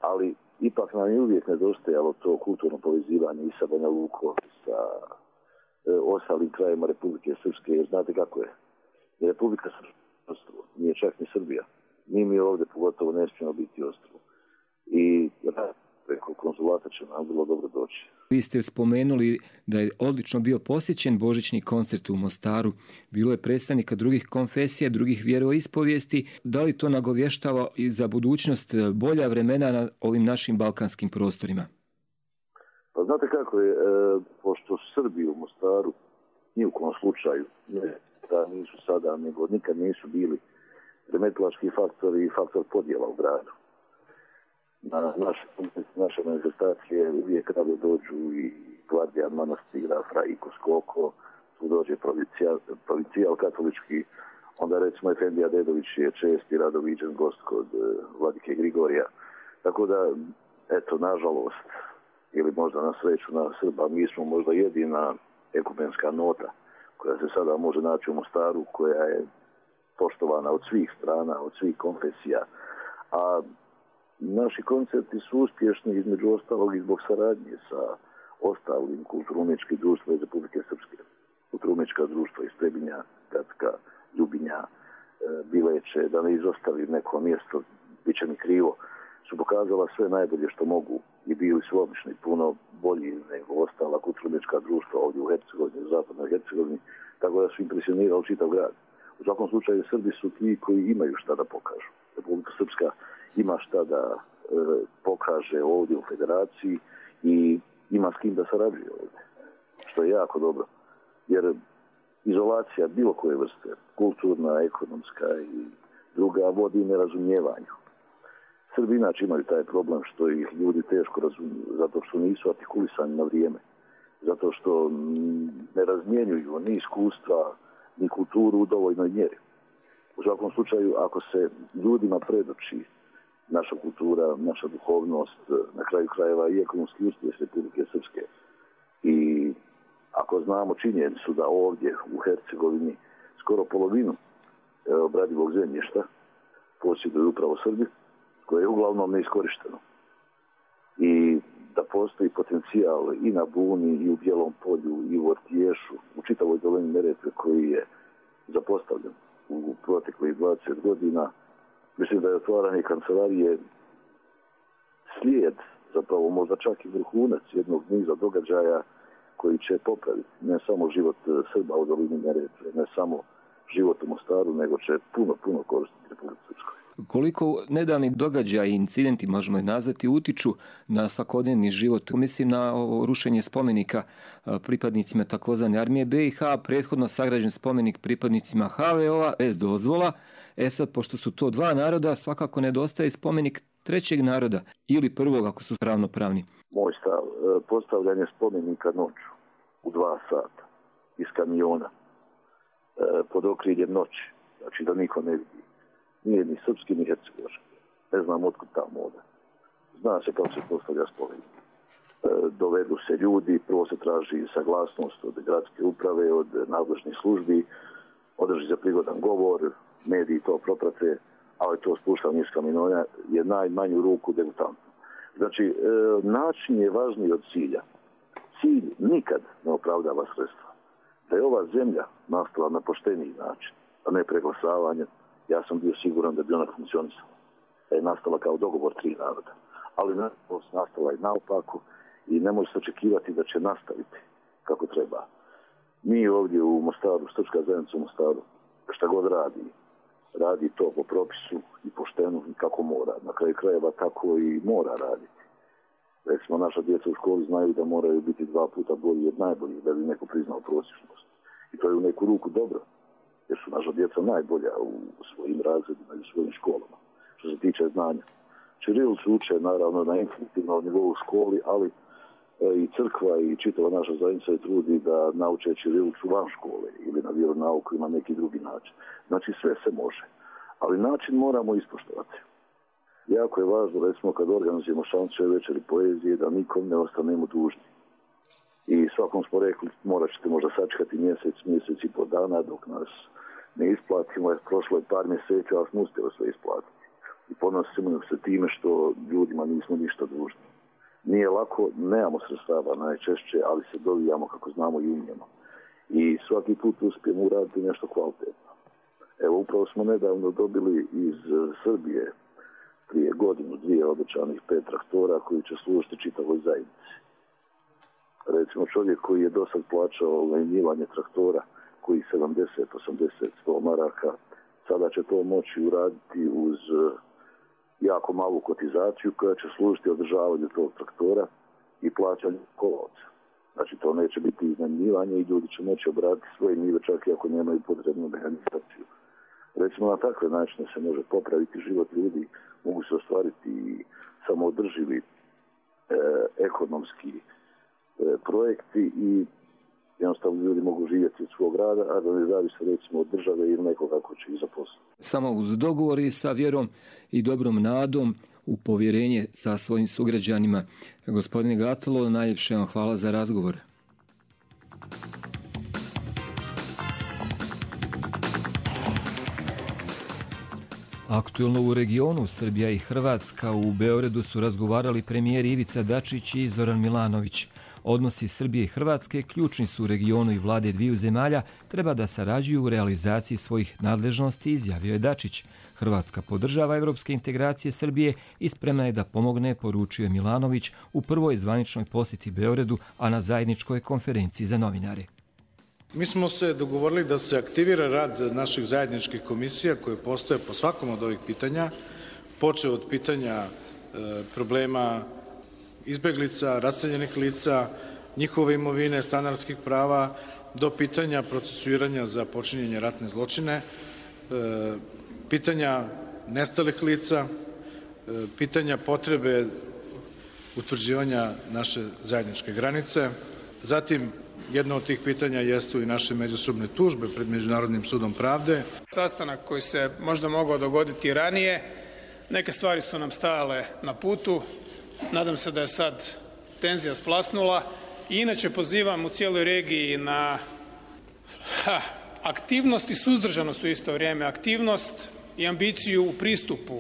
Ali ipak nam je uvijek nedostajalo to kulturno povezivanje i sa Banja Lukom, sa ostalim krajima Republike Srpske, jer znate kako je. Republika Srpska nije čak ni Srbija. Mi ovdje pogotovo ne smijemo biti ostrvo. I preko konzulata će nam bilo dobro doći. Vi ste spomenuli da je odlično bio posjećen božićni koncert u Mostaru. Bilo je predstavnika drugih konfesija, drugih vjeroispovijesti. Da li to nagovještava i za budućnost bolja vremena na ovim našim balkanskim prostorima? Pa znate kako je, pošto Srbi u Mostaru ni u kom slučaju, ne da nisu sada, nego nikad nisu bili remetilački faktor i faktor podjela u gradu. Na naše manifestacije uvijek rado dođu i Gvardijan manastira, Frajko Skoko, tu dođe provincijal katolički, onda recimo Efendija Dedović je česti rado viđen gost kod Vladike Grigorija. Tako da, eto, nažalost, ili možda na sreću na Srba, mi smo možda jedina ekumenska nota koja se sada može naći u Mostaru, koja je poštovana od svih strana, od svih konfesija. A naši koncerti su uspješni između ostalog i zbog saradnje sa ostalim kulturno-umetničkim društvom iz Republike Srpske. Kulturno-umetnička društva iz Trebinja, Gacka, Ljubinja, Bileće, da ne izostavim neko mjesto, bit će mi krivo, su pokazala sve najbolje što mogu i bili su obični, puno bolji nego ostala kulturno-umetnička društva ovdje u Hercegovini, u zapadnoj Hercegovini, tako da su impresionirali čitav grad. U svakom slučaju Srbi su ti koji imaju šta da pokažu. Republika Srpska ima šta da pokaže ovdje u federaciji i ima s kim da sarađuje ovdje, što je jako dobro. Jer izolacija bilo koje vrste, kulturna, ekonomska i druga, vodi nerazumijevanju. Srbi inače imaju taj problem što ih ljudi teško razumiju, zato što nisu artikulisani na vrijeme, zato što ne razmjenjuju ni iskustva, ni kulturu u dovoljnoj mjeri. U svakom slučaju, ako se ljudima predoči naša kultura, naša duhovnost, na kraju krajeva i ekonomski uspjeh Republike Srpske, i ako znamo činjenicu da ovdje u Hercegovini skoro polovinu obradivog zemljišta posjeduju upravo Srbi, koje je uglavnom neiskorišteno. I da postoji potencijal i na Buni, i u Bijelom polju, i u Ortiješu, u čitavoj dolini Neretve koji je zapostavljen u proteklih 20 godina. Mislim da je otvaranje kancelarije slijed, zapravo možda čak i vrhunac jednog niza događaja koji će popraviti ne samo život Srba u dolini Neretve, ne samo život u Mostaru, nego će puno koristiti Republike Srpskoj. Koliko nedavni događaj i incidenti, možemo je nazvati, utiču na svakodnevni život? Mislim na rušenje spomenika pripadnicima takozvane armije BiH, prethodno sagrađen spomenik pripadnicima HVO-a bez dozvola. Sad, pošto su to dva naroda, svakako nedostaje spomenik trećeg naroda ili prvog ako su ravnopravni. Moj stav, postavljanje spomenika noću u 2 sata iz kamiona pod okriljem noći, znači da niko ne vidi, nije ni srpski ni hercegovački. Ne znam otkud ta moda. Zna se kako se postavlja spomenik. Dovedu se ljudi, prvo se traži saglasnost od gradske uprave, od nadležnih službi, održi se prigodan govor, mediji to proprate, ali to spuštanje iz kamiona je najmanju ruku degutantno. Znači, način je važniji od cilja. Cilj nikad ne opravdava sredstva. Da je ova zemlja nastala na pošteniji način, a ne preglasavanjem, ja sam bio siguran da bi ona funkcionisala. Da je nastala kao dogovor 3 naroda. Ali nažalost nastala je naopako i ne može se očekivati da će nastaviti kako treba. Mi ovdje u Mostaru, Srpska zajednica u Mostaru, šta god radi to po propisu i pošteno i kako mora. Na kraju krajeva tako i mora raditi. Recimo, naša djeca u školi znaju da moraju biti 2 puta bolji od najboljih da bi neko priznao prosječnost. I to je u neku ruku dobro, jer su naša djeca najbolja u svojim razredima i u svojim školama. Što se tiče znanja. Ćirilicu uče naravno na infantilnom nivou u školi, ali i crkva i čitava naša zajednica je trudi da nauče ćirilicu van škole ili na vjeronauku ili na neki drugi način. Znači sve se može, ali način moramo ispoštovati. Jako je važno, recimo, kad organizujemo šančeve večeri poezije, da nikom ne ostanemo dužni. I svakom smo rekli, morat ćete možda sačekati mjesec i pol dana dok nas ne isplatimo, jer prošlo je par mjeseci, ali smo uspjeli sve isplatiti. I ponosimo se time što ljudima nismo ništa dužni. Nije lako, nemamo sredstava najčešće, ali se dovijamo kako znamo i umijemo. I svaki put uspijemo uraditi nešto kvalitetno. Evo, upravo smo nedavno dobili iz Srbije prije 1-2 obećanih 5 traktora koji će služiti čitavoj zajednici. Recimo, čovjek koji je dosad plaćao najmljivanje traktora, koji 70, 80, 100 maraka, sada će to moći uraditi uz jako malu kotizaciju koja će služiti održavanju tog traktora i plaćanju kolaca. Znači, to neće biti iznajmljivanje i ljudi će moći obraditi svoje njive čak i ako nemaju potrebnu mehanizaciju. Recimo, na takve načine se može popraviti život ljudi, mogu se ostvariti i samoodrživi ekonomski projekti i jednostavno ljudi mogu živjeti od svog rada, a da ne zavise recimo od države ili nekoga ko će ih zaposliti. Samo uz dogovor i sa vjerom i dobrom nadom u povjerenje sa svojim sugrađanima. Gospodine Gatalo, najljepše vam hvala za razgovor. Aktuelno u regionu, Srbija i Hrvatska u Beogradu su razgovarali premijeri Ivica Dačić i Zoran Milanović. Odnosi Srbije i Hrvatske ključni su u regionu i vlade dviju zemalja treba da sarađuju u realizaciji svojih nadležnosti, izjavio je Dačić. Hrvatska podržava evropske integracije Srbije i spremna je da pomogne, poručio je Milanović u prvoj zvaničnoj posjeti Beogradu, a na zajedničkoj konferenciji za novinare. Mi smo se dogovorili da se aktivira rad naših zajedničkih komisija koje postoje po svakom od ovih pitanja, počeo od pitanja problema izbeglica, raseljenih lica, njihove imovine, stanarskih prava, do pitanja procesuiranja za počinjenje ratne zločine, pitanja nestalih lica, pitanja potrebe utvrđivanja naše zajedničke granice. Zatim, jedno od tih pitanja jesu i naše međusobne tužbe pred Međunarodnim sudom pravde. Sastanak koji se možda mogao dogoditi ranije, neke stvari su nam stajale na putu. Nadam se da je sad tenzija splasnula i inače pozivam u cijeloj regiji na aktivnost i suzdržanost u isto vrijeme. Aktivnost i ambiciju u pristupu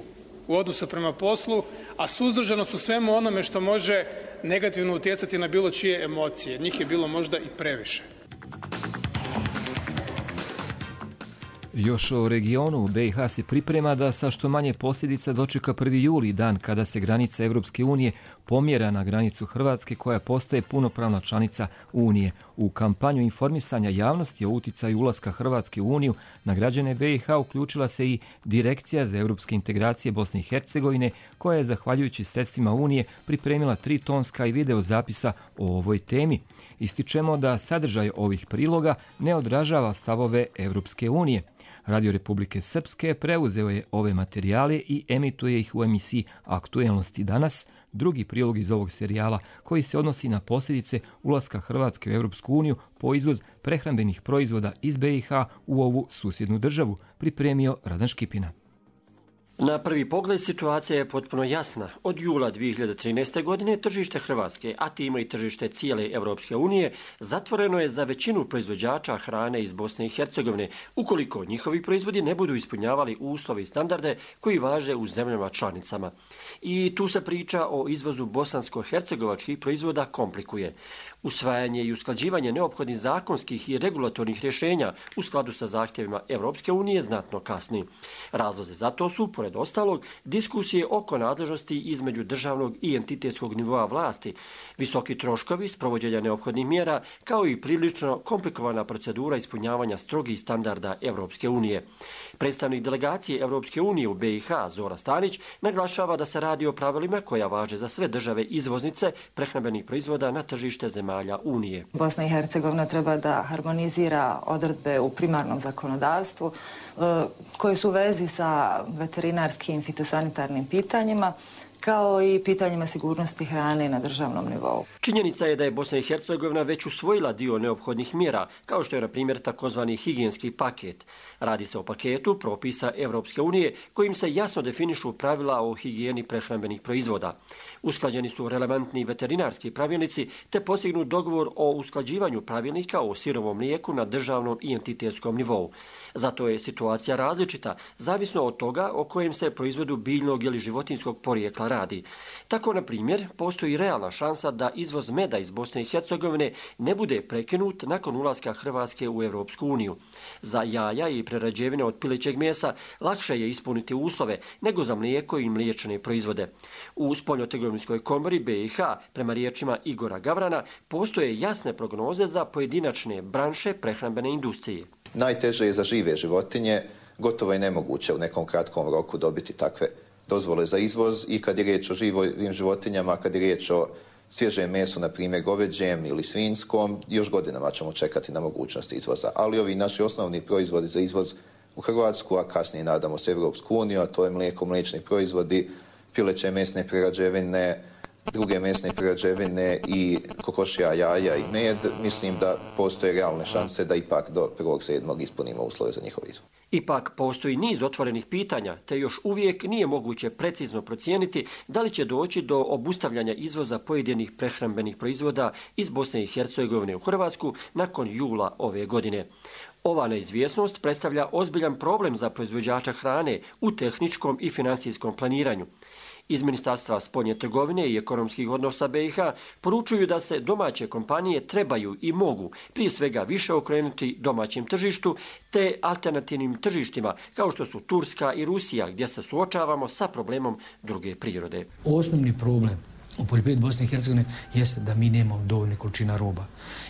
u odnosu prema poslu, a suzdržanost u svemu onome što može negativno utjecati na bilo čije emocije. Njih je bilo možda i previše. Još o regionu BiH se priprema da sa što manje posljedica dočeka 1. juli, dan kada se granica Evropske unije pomjera na granicu Hrvatske koja postaje punopravna članica Unije. U kampanju informisanja javnosti o uticaju ulaska Hrvatske u Uniju na građane BiH uključila se i Direkcija za europske integracije Bosne i Hercegovine, koja je zahvaljujući sredstvima Unije pripremila 3 tonska i video zapisa o ovoj temi. Ističemo da sadržaj ovih priloga ne odražava stavove Evropske unije. Radio Republike Srpske preuzeo je ove materijale i emituje ih u emisiji Aktuelnosti danas, drugi prilog iz ovog serijala koji se odnosi na posljedice ulaska Hrvatske u Evropsku uniju po izvoz prehrambenih proizvoda iz BiH u ovu susjednu državu, pripremio Radan Škipina. Na prvi pogled situacija je potpuno jasna. Od jula 2013. godine tržište Hrvatske, a time i tržište cijele Evropske unije, zatvoreno je za većinu proizvođača hrane iz Bosne i Hercegovine, ukoliko njihovi proizvodi ne budu ispunjavali uslove i standarde koji važe u zemljama članicama. I tu se priča o izvozu bosansko-hercegovačkih proizvoda komplikuje. Usvajanje i usklađivanje neophodnih zakonskih i regulatornih rješenja u skladu sa zahtjevima Evropske unije znatno kasni. Razlozi za to su, pored ostalog, diskusije oko nadležnosti između državnog i entitetskog nivoa vlasti, visoki troškovi sprovođenja neophodnih mjera, kao i prilično komplikovana procedura ispunjavanja strogih standarda Evropske unije. Predstavnik delegacije Evropske unije u BiH, Zora Stanić, naglašava da se radi o pravilima koja važe za sve države izvoznice prehrambenih proizvoda na tržište zemalja Unije. Bosna i Hercegovina treba da harmonizira odredbe u primarnom zakonodavstvu koje su u vezi sa veterinarskim fitosanitarnim pitanjima, kao i pitanjima sigurnosti hrane na državnom nivou. Činjenica je da je Bosna i Hercegovina već usvojila dio neophodnih mjera, kao što je, na primjer, takozvani higijenski paket. Radi se o paketu propisa Evropske unije kojim se jasno definišu pravila o higijeni prehrambenih proizvoda. Usklađeni su relevantni veterinarski pravilnici te postignut dogovor o usklađivanju pravilnika o sirovom mlijeku na državnom i entitetskom nivou. Zato je situacija različita, zavisno od toga o kojem se proizvodu biljnog ili životinjskog porijekla radi. Tako, na primjer, postoji realna šansa da izvoz meda iz Bosne i Hercegovine ne bude prekinut nakon ulaska Hrvatske u Evropsku uniju. Za jaja i prerađevine od pilećeg mesa lakše je ispuniti uslove nego za mlijeko i mliječne proizvode. U Spoljnotrgovinskoj komori BiH, prema riječima Igora Gavrana, postoje jasne prognoze za pojedinačne branše prehrambene industrije. Najteže je za žive životinje, gotovo je nemoguće u nekom kratkom roku dobiti takve dozvole za izvoz i kad je riječ o živim životinjama, kad je riječ o svježem mesu, na primjer goveđem ili svinjskom, još godinama ćemo čekati na mogućnost izvoza. Ali ovi naši osnovni proizvodi za izvoz u Hrvatsku, a kasnije nadamo se Evropsku uniju, a to je mlijeko, mliječni proizvodi, pileće mesne prerađevine, druge mesne prerađevine i kokošja, jaja i med, mislim da postoje realne šanse da ipak do 1.7. ispunimo uslove za njihov izvoz. Ipak postoji niz otvorenih pitanja, te još uvijek nije moguće precizno procijeniti da li će doći do obustavljanja izvoza pojedinih prehrambenih proizvoda iz Bosne i Hercegovine u Hrvatsku nakon jula ove godine. Ova neizvjesnost predstavlja ozbiljan problem za proizvođača hrane u tehničkom i financijskom planiranju. Iz Ministarstva spoljne trgovine i ekonomskih odnosa BiH poručuju da se domaće kompanije trebaju i mogu prije svega više okrenuti domaćem tržištu te alternativnim tržištima kao što su Turska i Rusija, gdje se suočavamo sa problemom druge prirode. Osnovni problem u poljoprivredi Bosne i Hercegovine jeste da mi nemamo dovoljne količina roba.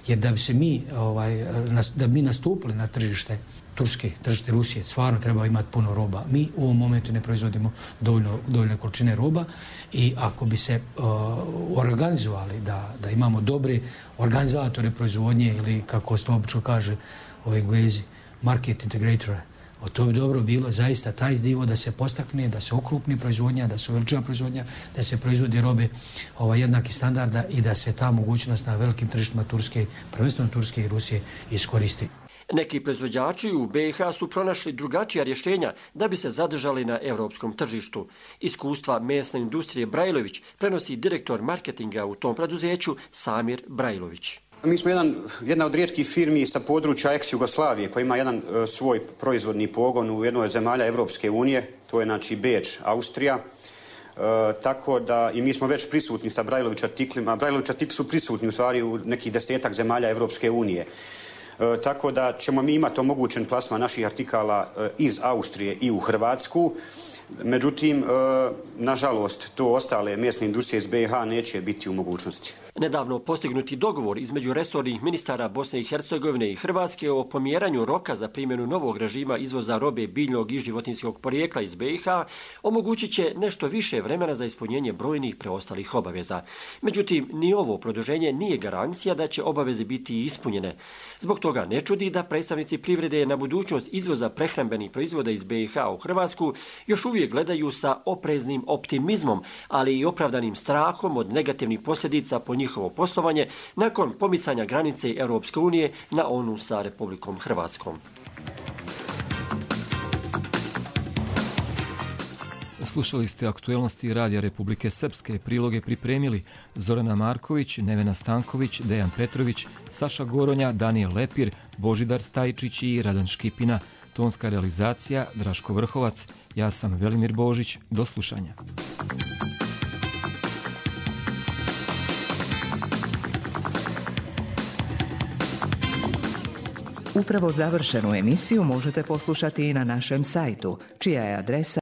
Jer da bi se mi nastupili na tržište Turske, tržište Rusije, stvarno treba imati puno roba. Mi u ovom momentu ne proizvodimo dovoljne količine roba i ako bi se organizovali da imamo dobre organizatore proizvodnje ili kako se to obično kaže u Englezi, market integratore, to bi dobro bilo zaista taj nivo da se postakne, da se okrupni proizvodnja, da se uveličava proizvodnja, da se proizvodi robe jednaki standarda i da se ta mogućnost na velikim tržištima Turske, prvenstveno Turske i Rusije, iskoristi. Neki proizvođači u BiH su pronašli drugačija rješenja da bi se zadržali na europskom tržištu. Iskustva mesne industrije Brajlović prenosi direktor marketinga u tom preduzeću Samir Brajlović. Mi smo jedna od rijetkih firmi sa područja ex-Jugoslavije koja ima jedan svoj proizvodni pogon u jednoj od zemalja Evropske unije, to je znači Beč, Austrija. Tako da i mi smo već prisutni sa Brajlović artiklima. Brajlović artikli su prisutni u stvari u nekih 10-ak zemalja Evropske unije. tako da ćemo mi imati omogućen plasman naših artikala iz Austrije i u Hrvatsku. Međutim, nažalost, to ostale mesne industrije iz BiH neće biti u mogućnosti. Nedavno postignuti dogovor između resornih ministara Bosne i Hercegovine i Hrvatske o pomjeranju roka za primjenu novog režima izvoza robe biljnog i životinjskog porijekla iz BiH omogućit će nešto više vremena za ispunjenje brojnih preostalih obaveza. Međutim, ni ovo produženje nije garancija da će obaveze biti ispunjene. Zbog toga ne čudi da predstavnici privrede na budućnost izvoza prehrambenih proizvoda iz BiH u Hrvatsku još uvijek gledaju sa opreznim optimizmom, ali i opravdanim strahom od negativnih posljedica po njihovo poslovanje nakon pomicanja granice Europske unije na onu sa Republikom Hrvatskom. Slušali ste aktuelnosti Radija Republike Srpske. Priloge pripremili Zorana Marković, Nevena Stanković, Dejan Petrović, Saša Goronja, Daniel Lepir, Božidar Stajčić i Radan Škipina. Tonska realizacija Draško Vrhovac. Ja sam Velimir Božić. Do slušanja. Upravo završenu emisiju možete poslušati i na našem sajtu, čija je adresa